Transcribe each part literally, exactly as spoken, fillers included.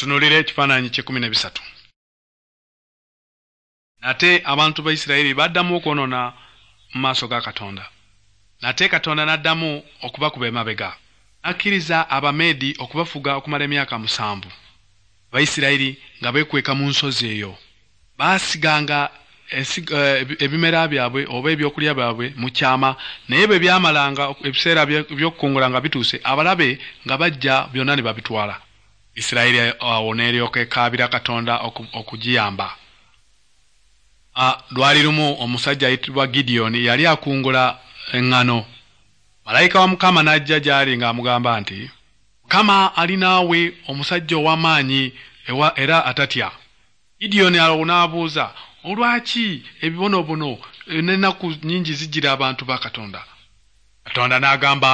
Mutunuulire ekifaananyi ky'ekkumi n'ebisatu. Nate abantu ba Isirayiri baddamu okwonoona mu maaso ga Katonda. Nate Katonda n'addamu okubakuba emabega. N'akkiriza Abameedi okubafuga okumala emyaka musanvu. Abayisirayiri nga beekweka mu nsozi eyo. Baasiganga ebimera byabwe oba ebyokulya byabwe mu kyama, naye bwe byamalanga ebiseera by'okukungula nga bituuse, abalabe nga bajja byonna ne babitwala. Isirayiri awo n'eryoka ekaabira Katonda okugiyamba. Lwali lumu omusajja ayitibwa Gidiyoni yali akungula eŋŋano. Malayika wa Mukama n'ajja gy'ali ng'amugamba nti, Mukama ali naawe omusajja ow'amaanyi era atatya. Gidiyoni awo n'abuuza, olwaki ebibonoobono n'ennaku nnyingi zijjira abantu ba Katonda? Katonda n'agamba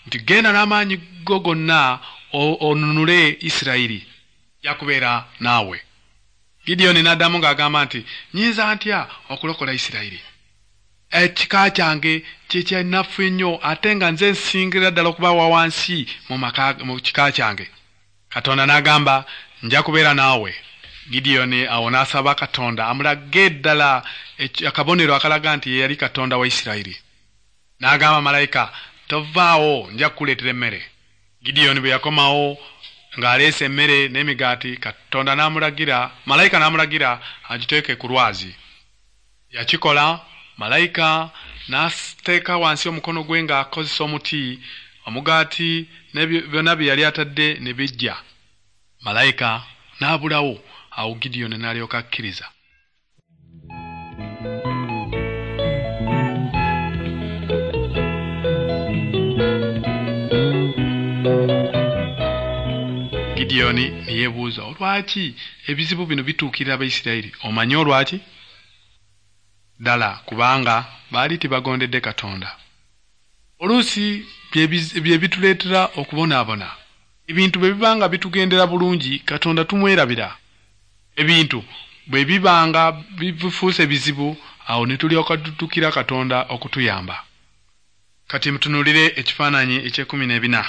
nti, genda n'amaanyi go gonna onunule Isirayiri, nja kubeera naawe. Gidiyoni n'addamu ng'agamba nti, nnyinza ntya okulokola Isirayiri? Ekika kyange kye kyannafu ennyo ate nga nze nsingira ddala okuba wa wansi mu maka mu kika kyange. Katonda n'agamba, nja kubeera naawe. Gidiyoni awo n'asaba Katonda amulage ddala akabonero akalaga nti ye yali Katonda wa Isirayiri. N'agamba malayika, tovaawo, nja kukuleetera emmere. Gidiyoni bwe yakomawo ng'aleese emmere n'emigaati, Katonda n'amulagira, malayika n'amulagira agiteeke ku lwazi. Yakikola, malayika n'ateeka wansi omukono gwe ng'akozesa omuti, omugaati ne byonna bye yali atadde ne bijja. Malayika n'abulawo, awo Gidiyoni n'alyoka akkiriza. Gidiyoni ne yeebuuza, olwaki ebizibu bino bituukirira Abayisirayiri? Omanyi olwaki? Ddala kubanga baali tebagondedde Katonda. Oluusi bye bituleetera okubonaabona. Ebintu bwe bibanga bitugendera bulungi, Katonda tumwerabira. Ebintu bwe bibanga bifuuse bizibu, awo ne tulyoka tuddukira Katonda okutuyamba. Kati mutunuulire ekifaananyi eky'ekkumi n'ebina.